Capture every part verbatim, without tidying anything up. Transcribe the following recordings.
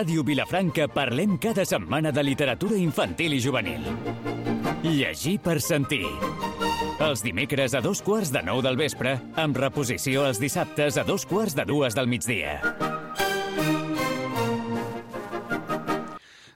Ràdio Vilafranca parlem cada setmana de literatura infantil i juvenil. Llegir per sentir. Els dimecres a dos quarts de nou del vespre, amb reposició els dissabtes a dos quarts de dues del migdia.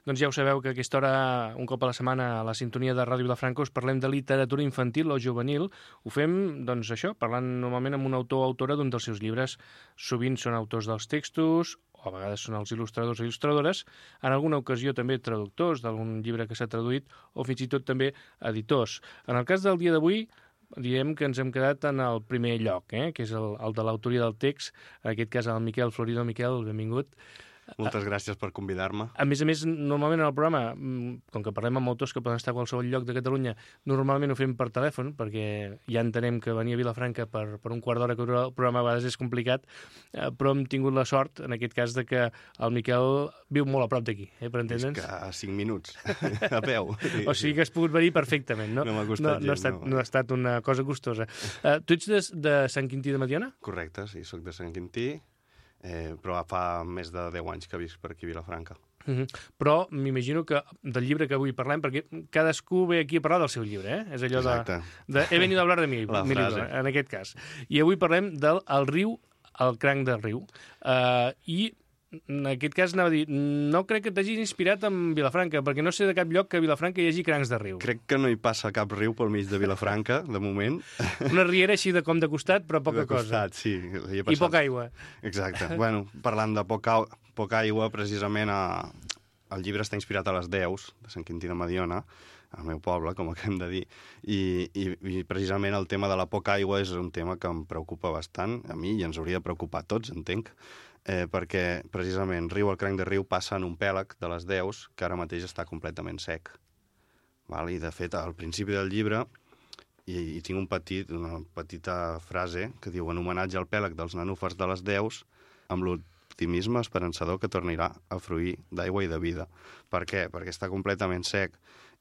Doncs ja ho sabeu que a aquesta hora, un cop a la setmana, a la sintonia de Ràdio Vilafranca, us parlem de literatura infantil o juvenil. Ho fem, doncs això, parlant normalment amb un autor o autora d'un dels seus llibres. Sovint són autors dels textos, o a vegades són els il·lustradors o il·lustradores, en alguna ocasió també traductors d'algun llibre que s'ha traduït, o fins i tot també editors. En el cas del dia d'avui, direm que ens hem quedat en el primer lloc, eh? que és el, el de l'autoria del text, en aquest cas el Miquel Florido. Miquel, benvingut. Moltes gràcies per convidar-me. A més a més, normalment en el programa, com que parlem amb autors que poden estar a qualsevol lloc de Catalunya, normalment ho fem per telèfon, perquè ja entenem que venir a Vilafranca per, per un quart d'hora que dura el programa a vegades és complicat, eh, però hem tingut la sort, en aquest cas, de que el Miquel viu molt a prop d'aquí, eh, per entendre'ns. És que a cinc minuts, a peu. O sigui que has pogut venir perfectament, no? No m'ha costat no, no, ha estat, no. no ha estat una cosa costosa. Uh, tu ets de, de Sant Quintí de Mediona? Correcte, sí, soc de Sant Quintí. Eh, però fa més de deu anys que visc per aquí a Vilafranca. Uh -huh. Però m'imagino que del llibre que avui parlem, perquè cadascú ve aquí a parlar del seu llibre, eh? És allò Exacte. de, de he venido a hablar de mi, La mi frase. llibre, en aquest cas. I avui parlem del el riu, el cranc del riu. Uh, I en aquest cas anava a dir, no crec que t'hagis inspirat en Vilafranca, perquè no sé de cap lloc que a Vilafranca hi hagi crancs de riu. Crec que no hi passa cap riu pel mig de Vilafranca, de moment. Una riera així de com de costat, però poca de costat, cosa. sí. I poca aigua. Exacte. Bueno, parlant de poca, poca aigua, precisament a... el llibre està inspirat a les Deus, de Sant Quintí de Mediona, al meu poble, com acabem de dir, i, i, i precisament el tema de la poca aigua és un tema que em preocupa bastant, a mi, i ens hauria de preocupar a tots, entenc, eh, perquè precisament Riu, el cranc de riu, passa en un pèlag de les Deus que ara mateix està completament sec. Val? I, de fet, al principi del llibre i, i tinc un petit, una petita frase que diu en homenatge al pèlag dels nenúfars de les Deus, amb l'optimisme esperançador que tornarà a fruir d'aigua i de vida. Per què? Perquè està completament sec.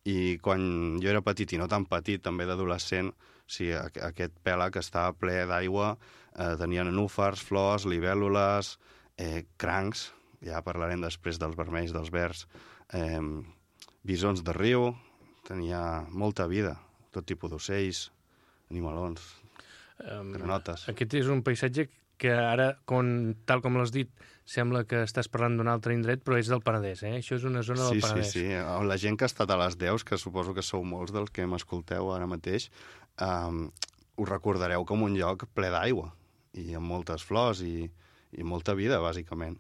I quan jo era petit, i no tan petit, també d'adolescent, sí, aquest pèlag estava ple d'aigua, eh, tenia nenúfars, flors, libèl·lules, eh, crancs, ja parlarem després dels vermells, dels verds, eh, bisons de riu, tenia molta vida, tot tipus d'ocells, animalons, um, granotes. Aquest és un paisatge que ara, com, tal com l'has dit, sembla que estàs parlant d'un altre indret, però és del Penedès, eh? Això és una zona del sí, Penedès. Sí, sí, sí. La gent que ha estat a les Deus, que suposo que sou molts dels que m'escolteu ara mateix, um, us recordareu com un lloc ple d'aigua, i amb moltes flors i, i molta vida, bàsicament.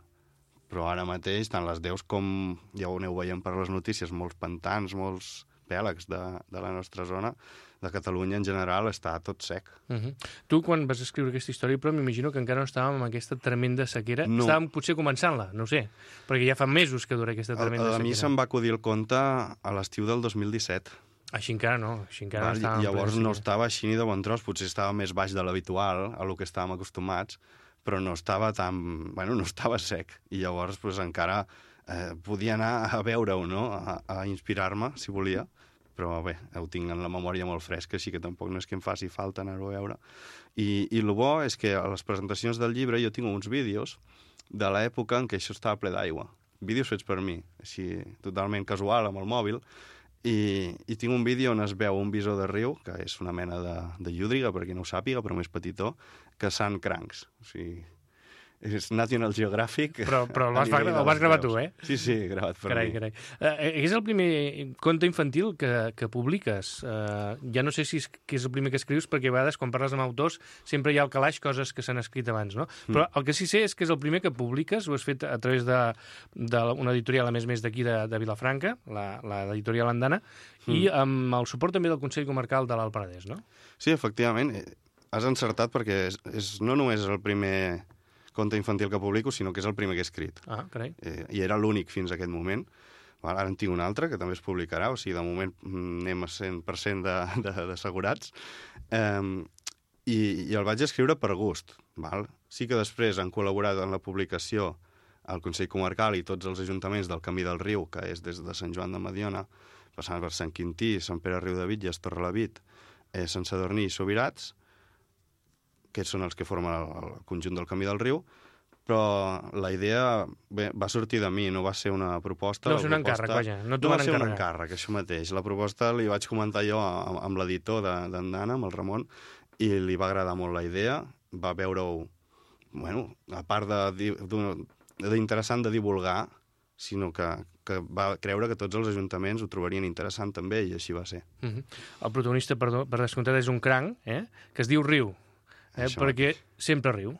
Però ara mateix, tant les Deus com ja ho aneu veient per les notícies, molts pantans, molts pèlags de, de la nostra zona, de Catalunya en general, està tot sec. Uh -huh. Tu, quan vas escriure aquesta història, però m'imagino que encara no estàvem amb aquesta tremenda sequera. No. Estàvem potser començant-la, no ho sé, perquè ja fa mesos que dura aquesta tremenda a, a sequera. A mi se'm va acudir el conte a l'estiu del dos mil disset. Així encara no, així encara Val, no estàvem... llavors no estava així ni de bon tros, potser estava més baix de l'habitual, a lo que estàvem acostumats, però no estava tan... Bueno, no estava sec. I llavors pues, encara eh, podia anar a veure-ho, no?, a, a inspirar-me, si volia. Però bé, ho tinc en la memòria molt fresca, així que tampoc no és que em faci falta anar-ho a veure. I, i el bo és que a les presentacions del llibre jo tinc uns vídeos de l'època en què això estava ple d'aigua. Vídeos fets per mi, així totalment casual, amb el mòbil, i, i tinc un vídeo on es veu un bisó de riu, que és una mena de, de llúdriga, per qui no ho sàpiga, però més petitó, caçant crancs. O sigui, és National Geographic. Però, però el vas, el vas gravar tu, eh? Sí, sí, gravat per carai, mi. Carai. Uh, és el primer conte infantil que, que publiques. Uh, ja no sé si és, que és el primer que escrius, perquè a vegades, quan parles amb autors, sempre hi ha al calaix coses que s'han escrit abans, no? Mm. Però el que sí sé és que és el primer que publiques, ho has fet a través d'una editorial, a més més d'aquí de, de Vilafranca, l'editorial Andana, mm. i amb el suport també del Consell Comarcal de l'Alt Penedès, no? Sí, efectivament. Has encertat perquè és, és, no només el primer conte infantil que publico, sinó que és el primer que he escrit. Ah, carai. Eh, I era l'únic fins a aquest moment. Val, ara en tinc un altre, que també es publicarà, o sigui, de moment anem a cent per cent d'assegurats. Eh, i, I el vaig escriure per gust. Val? Sí que després han col·laborat en la publicació el Consell Comarcal i tots els ajuntaments del Camí del Riu, que és des de Sant Joan de Mediona, passant per Sant Quintí, Sant Pere Riu de Bitlles, Torrelavit, eh, Sant Sadurní i Subirats, que són els que formen el, el conjunt del Camí del Riu, però la idea bé, va sortir de mi, no va ser una proposta. No va ser un proposta... encàrrec, vaja. No t'ho no van va ser encarregar. un encàrrec, això mateix. La proposta li vaig comentar jo amb, amb l'editor d'en Dana, amb el Ramon, i li va agradar molt la idea. Va veure-ho, bueno, a part d'interessant de, de, de divulgar, sinó que, que va creure que tots els ajuntaments ho trobarien interessant també, i així va ser. Uh -huh. El protagonista, perdó, per descomptat, és un cranc, eh? que es diu Riu, eh? perquè sempre riu.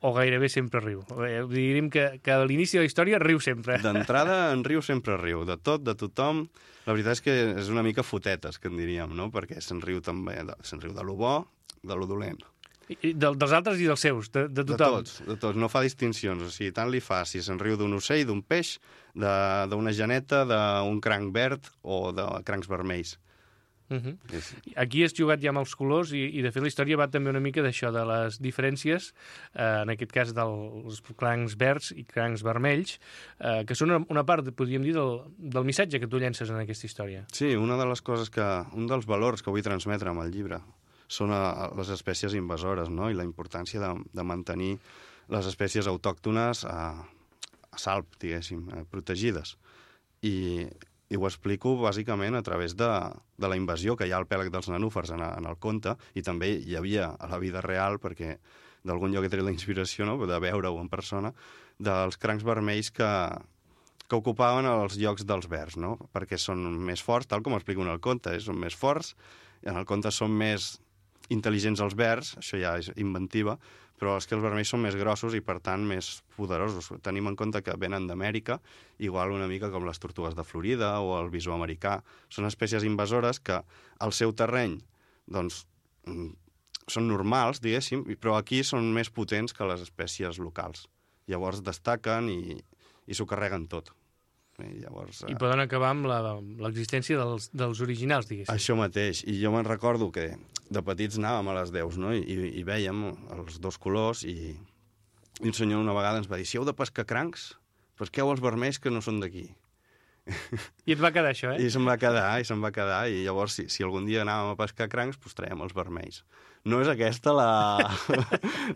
O gairebé sempre riu. Eh, diríem que, que a l'inici de la història riu sempre. D'entrada, en riu sempre riu. De tot, de tothom. La veritat és que és una mica fotetes, que en diríem, no? Perquè se'n riu també, de, se'n riu de lo bo, de lo dolent. I de, dels altres i dels seus, de, de tothom. De tots, de tots. No fa distincions. O sigui, tant li fa si se'n riu d'un ocell, d'un peix, d'una geneta, d'un cranc verd o de crancs vermells. Uh -huh. Aquí has jugat ja amb els colors i, i de fet la història va també una mica d'això, de les diferències, eh, en aquest cas dels crancs verds i crancs vermells, eh, que són una, una part, podríem dir, del, del missatge que tu llences en aquesta història. Sí, una de les coses que... un dels valors que vull transmetre amb el llibre són a, a les espècies invasores, no? I la importància de, de mantenir les espècies autòctones a, a salp, diguéssim, eh, protegides. I... I ho explico bàsicament a través de, de la invasió que hi ha al pèlag dels nenúfars en, en el conte, i també hi havia a la vida real, perquè d'algun lloc he tret la inspiració, no?, de veure-ho en persona, dels crancs vermells que, que ocupaven els llocs dels verds, no?, perquè són més forts, tal com explico en el conte, eh? Són més forts, en el conte són més intel·ligents els verds, això ja és inventiva, però és que els vermells són més grossos i, per tant, més poderosos. Tenim en compte que venen d'Amèrica, igual una mica com les tortugues de Florida o el bisó americà. Són espècies invasores que al seu terreny, doncs, són normals, diguéssim, però aquí són més potents que les espècies locals. Llavors destaquen i, i s'ho carreguen tot. I, llavors, I poden acabar amb l'existència dels, dels originals, diguéssim. Això mateix. I jo me'n recordo que de petits anàvem a les deus, no?, I, i vèiem els dos colors, i, i un senyor una vegada ens va dir: si heu de pescar crancs, pesqueu els vermells que no són d'aquí. I et va quedar això, eh? I se'm va quedar, i se'm va quedar, i llavors si, si algun dia anàvem a pescar crancs, doncs traiem els vermells. No és aquesta la...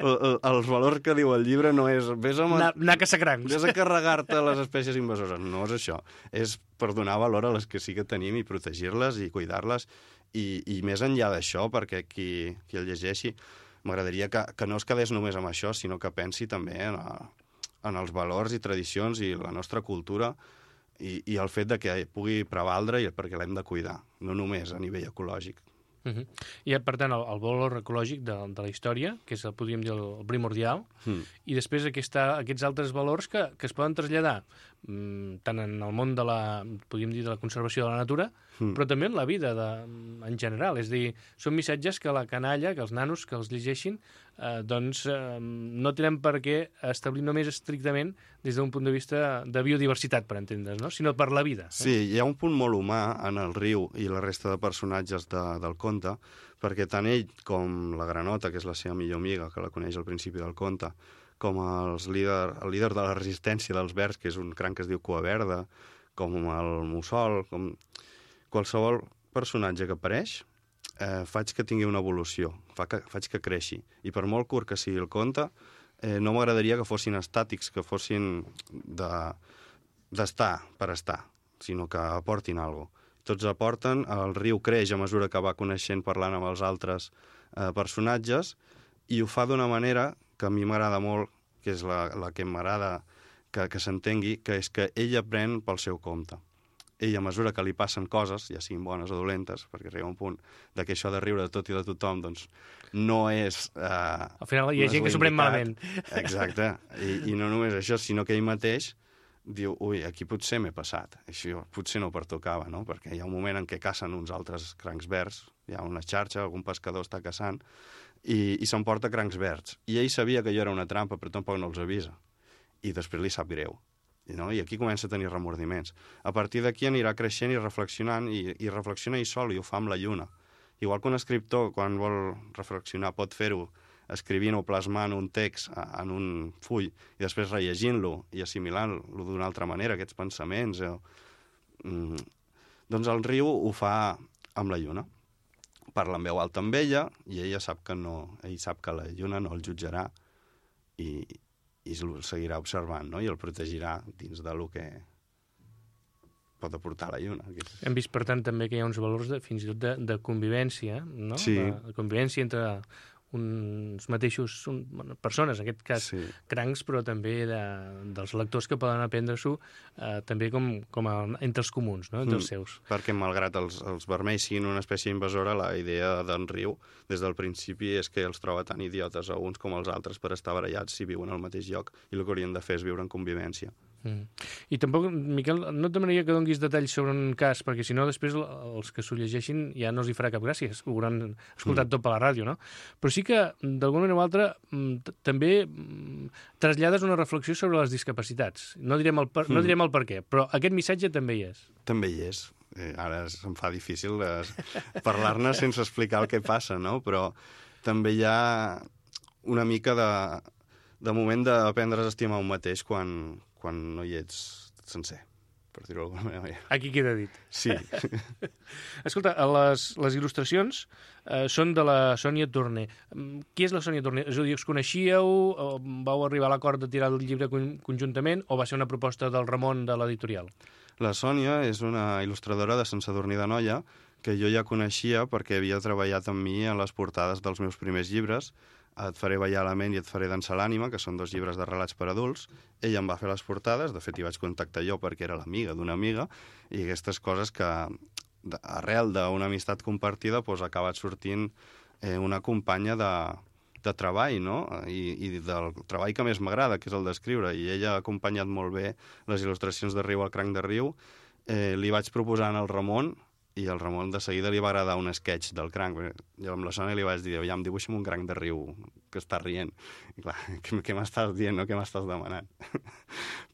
els valors que diu el llibre no és... Vés a... Anar, anar a caçar crancs. Vés a carregar-te les espècies invasores. No és això. És per donar valor a les que sí que tenim i protegir-les i cuidar-les. I, i més enllà d'això, perquè qui, qui el llegeixi, m'agradaria que, que no es quedés només amb això, sinó que pensi també en, a, en els valors i tradicions i la nostra cultura, i, i el fet de que pugui prevaldre i perquè l'hem de cuidar, no només a nivell ecològic. Uh -huh. I, per tant, el, el valor ecològic de, de la història, que és, el, podríem dir, el primordial, mm. i després aquesta, aquests altres valors que, que es poden traslladar mm, tant en el món de la, podríem dir, de la conservació de la natura, mm. però també en la vida de, en general. És a dir, són missatges que la canalla, que els nanos que els llegeixin, eh, doncs eh, no tenen per què establir només estrictament des d'un punt de vista de biodiversitat, per entendre's, no?, sinó per la vida. Eh? Sí, hi ha un punt molt humà en el Riu i la resta de personatges de, del conte, perquè tant ell com la Granota, que és la seva millor amiga, que la coneix al principi del conte, com els líder, el líder de la resistència dels verds, que és un cranc que es diu Cua Verda, com el Mussol, com qualsevol personatge que apareix, eh, faig que tingui una evolució, fa que, faig que creixi. I per molt curt que sigui el conte, eh, no m'agradaria que fossin estàtics, que fossin d'estar de, per estar, sinó que aportin alguna cosa. Tots aporten, el Riu creix a mesura que va coneixent, parlant amb els altres eh, personatges, i ho fa d'una manera que a mi m'agrada molt, que és la, la que m'agrada que, que s'entengui, que és que ell aprèn pel seu compte. Ell, a mesura que li passen coses, ja siguin bones o dolentes, perquè arriba un punt de que això de riure de tot i de tothom, doncs, no és... Eh, Al final hi ha no gent que s'ho pren malament. Exacte. I, I no només això, sinó que ell mateix diu, ui, aquí potser m'he passat. Això potser no pertocava, no? Perquè hi ha un moment en què cacen uns altres crancs verds, hi ha una xarxa, algun pescador està caçant, i, i s'emporta crancs verds. I ell sabia que allò era una trampa, però tampoc no els avisa. I després li sap greu. No? I aquí comença a tenir remordiments. A partir d'aquí anirà creixent i reflexionant, i, i reflexiona ell sol, i ho fa amb la lluna. Igual que un escriptor, quan vol reflexionar, pot fer-ho escrivint o plasmant un text en un full i després rellegint-lo i assimilant-lo d'una altra manera, aquests pensaments. Eh? Mm. Doncs el Riu ho fa amb la lluna. Parla en veu alta amb ella i ella sap que no, ell sap que la lluna no el jutjarà i, i el seguirà observant, no? I el protegirà dins de lo que pot aportar la lluna. Que és... Hem vist, per tant, també que hi ha uns valors de, fins i tot de, de convivència, no? Sí. De, de convivència entre uns mateixos un, bueno, persones, en aquest cas Sí. crancs, però també de, dels lectors que poden aprendre-s'ho eh, també com, com a, entre els comuns, no? Entre els seus. Mm, perquè malgrat els, els vermells siguin una espècie invasora, la idea d'en Riu des del principi és que els troba tan idiotes a uns com als altres per estar barallats si viuen al mateix lloc, i el que haurien de fer és viure en convivència. Mm. I tampoc, Miquel, no et demanaria que donguis detalls sobre un cas, perquè si no després els que s'ho llegeixin ja no els hi farà cap gràcia, ho hauran escoltat mm. tot per la ràdio, no? Però sí que, d'alguna manera o altra, també trasllades una reflexió sobre les discapacitats. No direm el per, mm. no direm el per què, però aquest missatge també hi és. També hi és. Eh, ara em fa difícil eh, parlar-ne sense explicar el que passa, no? Però també hi ha una mica de, de moment d'aprendre a estimar un mateix quan, quan no hi ets sencer, per dir-ho d'alguna manera. Aquí queda dit. Sí. Escolta, les, les il·lustracions eh, són de la Sònia Torner. Qui és la Sònia Torner? És a dir, us coneixíeu, o vau arribar a l'acord de tirar el llibre conjuntament, o va ser una proposta del Ramon de l'editorial? La Sònia és una il·lustradora de Sant Sadurní d'Anoia que jo ja coneixia perquè havia treballat amb mi en les portades dels meus primers llibres, Et faré ballar la ment i Et faré dansar l'ànima, que són dos llibres de relats per adults. Ella em va fer les portades, de fet hi vaig contactar jo perquè era l'amiga d'una amiga, i aquestes coses que arrel d'una amistat compartida doncs, ha acabat sortint eh, una companya de, de treball, no? I, i del treball que més m'agrada, que és el d'escriure, i ella ha acompanyat molt bé les il·lustracions de Riu al cranc de Riu. Eh, li vaig proposar al Ramon, i al Ramon de seguida li va agradar un sketch del cranc. Jo amb la Sònia li vaig dir, ja, em dibuixa'm un cranc de riu que està rient. I clar, què, què m'estàs dient, no? Què m'estàs demanant?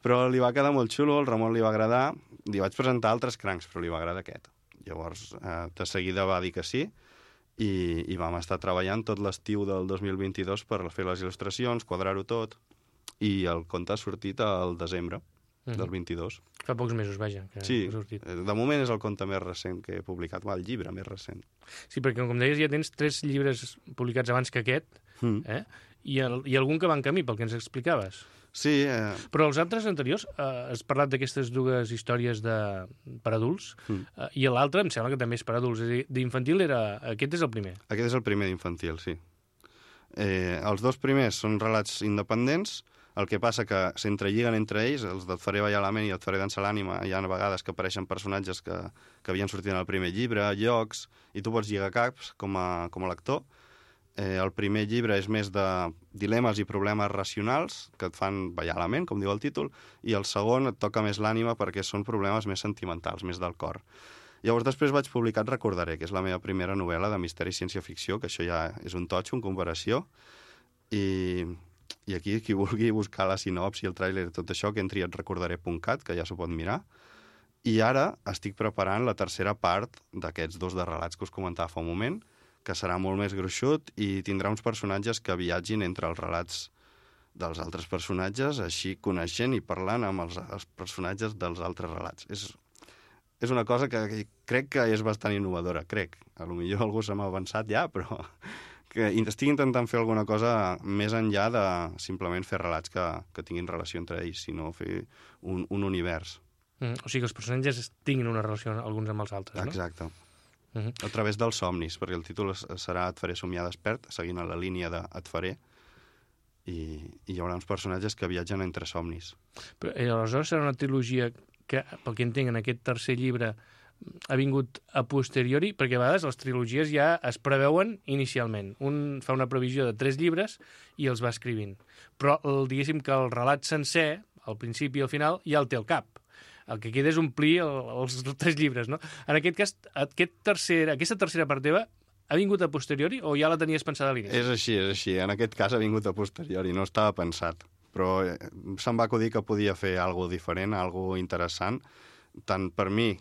Però li va quedar molt xulo, al Ramon li va agradar, li vaig presentar altres crancs, però li va agradar aquest. Llavors, eh, de seguida va dir que sí, i, i vam estar treballant tot l'estiu del dos mil vint-i-dos per fer les il·lustracions, quadrar-ho tot, i el conte ha sortit al desembre mm. del vint-i-dos. Fa pocs mesos, vaja, que sí, ha sortit. De moment és el conte més recent que he publicat, va, el llibre més recent. Sí, perquè, com deies, ja tens tres llibres publicats abans que aquest, mm. eh? I, el, i algun que va en camí, pel que ens explicaves. Sí. Eh... Però els altres anteriors, eh, has parlat d'aquestes dues històries de, per adults, mm. eh, i l'altre em sembla que també és per adults. És a dir, d'infantil era... Aquest és el primer. Aquest és el primer d'infantil, sí. Eh, els dos primers són relats independents. El que passa que s'entrelliguen entre ells, els d'Et faré ballar la ment i Et faré dansar l'ànima, hi ha vegades que apareixen personatges que, que havien sortit en el primer llibre, llocs, i tu pots lligar caps com a, com a lector. Eh, el primer llibre és més de dilemes i problemes racionals que et fan ballar la ment, com diu el títol, i el segon et toca més l'ànima perquè són problemes més sentimentals, més del cor. Llavors després vaig publicar Et recordaré, que és la meva primera novel·la de misteri i ciència-ficció, que això ja és un totxo en comparació, i... I aquí, qui vulgui buscar la sinopsi, el tràiler, tot això, que entri a et recordaré punt cat, que ja s'ho pot mirar. I ara estic preparant la tercera part d'aquests dos de relats que us comentava fa un moment, que serà molt més gruixut i tindrà uns personatges que viatgin entre els relats dels altres personatges, així coneixent i parlant amb els, els personatges dels altres relats. És, és una cosa que, que crec que és bastant innovadora, crec. A lo millor algú se m'ha avançat ja, però... que estic intentant fer alguna cosa més enllà de simplement fer relats que, que tinguin relació entre ells, sinó fer un, un univers. Mm, o sigui que els personatges tinguin una relació alguns amb els altres, no? Exacte. Mm -hmm. A través dels somnis, perquè el títol serà Et faré somiar despert, seguint a la línia de Et faré, i, i hi haurà uns personatges que viatgen entre somnis. Però eh, aleshores serà una trilogia que, pel que entenc, en aquest tercer llibre ha vingut a posteriori, perquè a vegades les trilogies ja es preveuen inicialment. Un fa una previsió de tres llibres i els va escrivint. Però el, diguéssim que el relat sencer, al principi i al final, ja el té al cap. El que queda és omplir el, els tres llibres, no? En aquest cas, aquest tercer, aquesta tercera part teva ha vingut a posteriori o ja la tenies pensada a l'inici? És així, és així. En aquest cas ha vingut a posteriori, no estava pensat. Però se'm va acudir que podia fer alguna diferent, alguna interessant, tant per mi,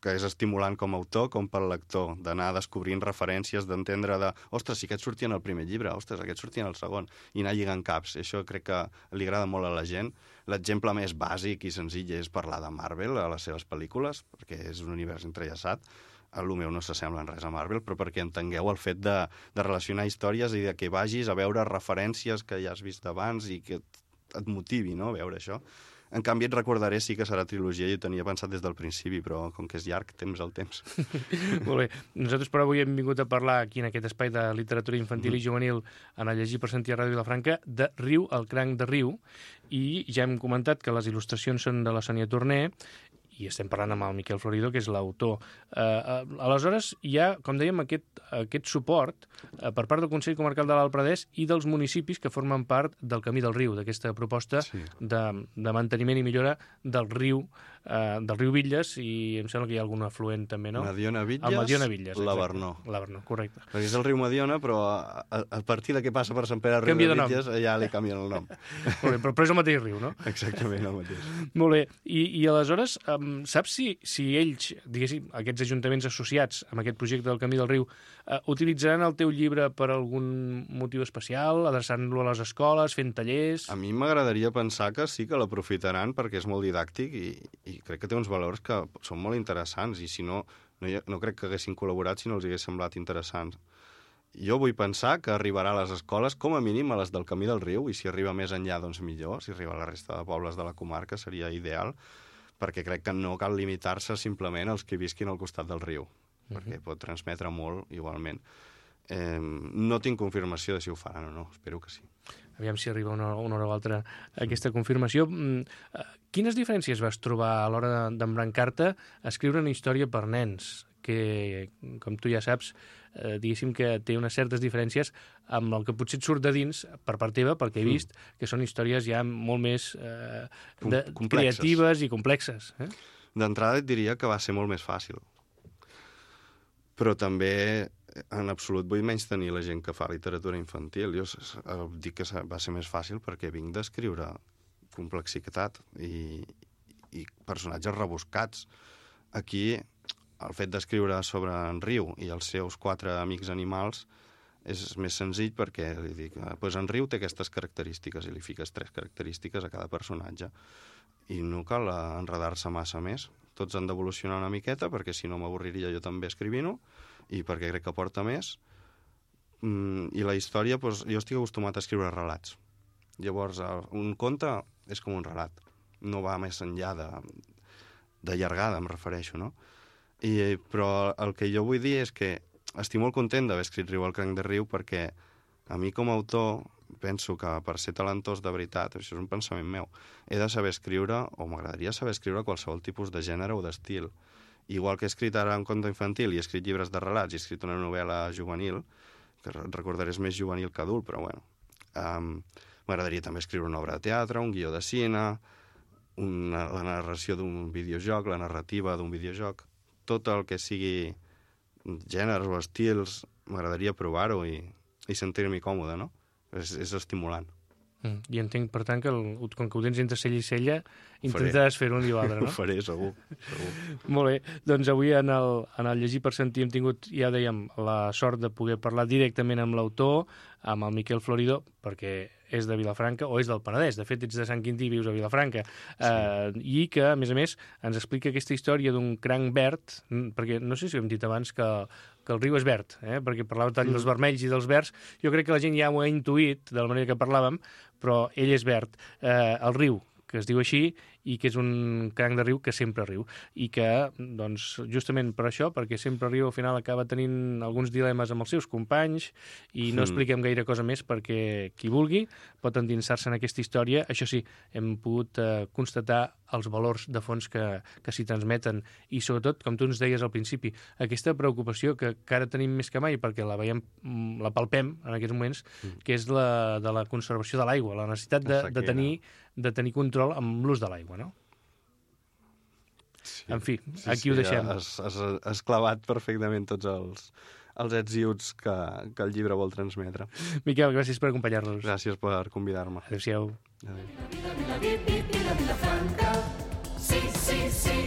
que és estimulant com a autor, com pel lector, d'anar descobrint referències, d'entendre de, ostres, si aquest sortia en el primer llibre, ostres, aquest sortia en el segon, i anar lligant caps. Això crec que li agrada molt a la gent. L'exemple més bàsic i senzill és parlar de Marvel a les seves pel·lícules, perquè és un univers entrellaçat. El meu no s'assembla en res a Marvel, però perquè entengueu el fet de, de relacionar històries i de que vagis a veure referències que ja has vist abans i que et motivi, no?, veure això. En canvi, et recordaré, sí que serà trilogia, i ho tenia pensat des del principi, però com que és llarg, temps al temps. Molt bé. Nosaltres, però, avui hem vingut a parlar aquí en aquest espai de literatura infantil mm. i juvenil, en el Llegir per Sentir a Ràdio Vilafranca, de Riu, el cranc de Riu, i ja hem comentat que les il·lustracions són de la Sònia Torner, i estem parlant amb el Miquel Florido, que és l'autor. Eh, eh, aleshores, hi ha, com dèiem, aquest, aquest suport eh, per part del Consell Comarcal de l'Alt Pradès i dels municipis que formen part del Camí del Riu, d'aquesta proposta sí. de, de manteniment i millora del riu, eh, del riu Bitlles, i em sembla que hi ha algun afluent també, no? Mediona Bitlles, el Mediona Bitlles, l'Avernó. L'Avernó, correcte. Perquè és el riu Mediona, però a, a, a partir de què passa per Sant Pere Riu de Bitlles, ja li canvien el nom. Molt bé, però, però és el mateix riu, no? Exactament, el mateix. Molt bé, i, i aleshores, um, saps si, si ells, diguéssim, aquests ajuntaments associats amb aquest projecte del Camí del Riu, uh, utilitzaran el teu llibre per algun motiu especial, adreçant-lo a les escoles, fent tallers... A mi m'agradaria pensar que sí que l'aprofitaran perquè és molt didàctic i, i crec que té uns valors que són molt interessants i si no, no, hi ha, no crec que haguessin col·laborat si no els hagués semblat interessants. Jo vull pensar que arribarà a les escoles, com a mínim a les del Camí del Riu, i si arriba més enllà, doncs millor, si arriba a la resta de pobles de la comarca seria ideal, perquè crec que no cal limitar-se simplement als que visquin al costat del riu, uh-huh. perquè pot transmetre molt igualment. Eh, no tinc confirmació de si ho faran o no, espero que sí. Aviam si arriba una, una hora o altra aquesta confirmació. Quines diferències vas trobar a l'hora d'embrancar-te a escriure una història per nens? Que, com tu ja saps, eh, diguéssim que té unes certes diferències amb el que potser et surt de dins per part teva, perquè he vist mm. que són històries ja molt més eh, de, creatives i complexes. Eh? D'entrada et diria que va ser molt més fàcil. Però també, en absolut, vull menys tenir la gent que fa literatura infantil. Jo dic que va ser més fàcil perquè vinc d'escriure complexitat i, i personatges rebuscats. Aquí... el fet d'escriure sobre en Riu i els seus quatre amics animals és més senzill perquè li dic, pues en Riu té aquestes característiques i li fiques tres característiques a cada personatge. I no cal enredar-se massa més. Tots han d'evolucionar una miqueta perquè si no m'avorriria jo també escrivint-ho i perquè crec que porta més. I la història, pues, jo estic acostumat a escriure relats. Llavors, un conte és com un relat. No va més enllà de, de llargada, em refereixo, no? I, però el que jo vull dir és que estic molt content d'haver escrit Riu al cranc de Riu perquè a mi com a autor penso que per ser talentós de veritat, això és un pensament meu, he de saber escriure, o m'agradaria saber escriure qualsevol tipus de gènere o d'estil. Igual que he escrit ara un conte infantil i he escrit llibres de relats i he escrit una novel·la juvenil, que recordaré és més juvenil que adult, però bueno. Um, m'agradaria també escriure una obra de teatre, un guió de cine, una, la narració d'un videojoc, la narrativa d'un videojoc. Tot el que sigui gèneres o estils, m'agradaria provar-ho i, i sentir-m'hi còmode, no? És, és estimulant. Mm. I entenc, per tant, que el, com que ho tens entre cella i cella, intentaràs fer un i l'altre, no? Ho faré, segur. segur. Molt bé. Doncs avui en el, en el Llegir per Sentir hem tingut, ja dèiem, la sort de poder parlar directament amb l'autor, amb el Miquel Florido, perquè és de Vilafranca, o és del Penedès, de fet ets de Sant Quintí i vius a Vilafranca, sí. eh, i que, a més a més, ens explica aquesta història d'un cranc verd, perquè no sé si ho hem dit abans que, que el riu és verd, eh? perquè parlàvem tant mm. dels vermells i dels verds, jo crec que la gent ja ho ha intuït de la manera que parlàvem, però ell és verd. Eh, el riu, que es diu així, i que és un cranc de riu que sempre riu. I que, doncs, justament per això, perquè sempre riu, al final acaba tenint alguns dilemes amb els seus companys i no mm. expliquem gaire cosa més perquè qui vulgui pot endinsar-se en aquesta història. Això sí, hem pogut eh, constatar els valors de fons que, que s'hi transmeten i, sobretot, com tu ens deies al principi, aquesta preocupació que, que ara tenim més que mai perquè la veiem, la palpem en aquests moments, mm. que és la de la conservació de l'aigua, la necessitat de, de, tenir, de tenir control amb l'ús de l'aigua, no? Sí, en fi, sí, aquí sí, ho deixem. Has, has, has clavat perfectament tots els, els ets i uts que, que el llibre vol transmetre. Miquel, gràcies per acompanyar-nos. Gràcies per convidar-me. Adéu-siau. Sí, sí, sí.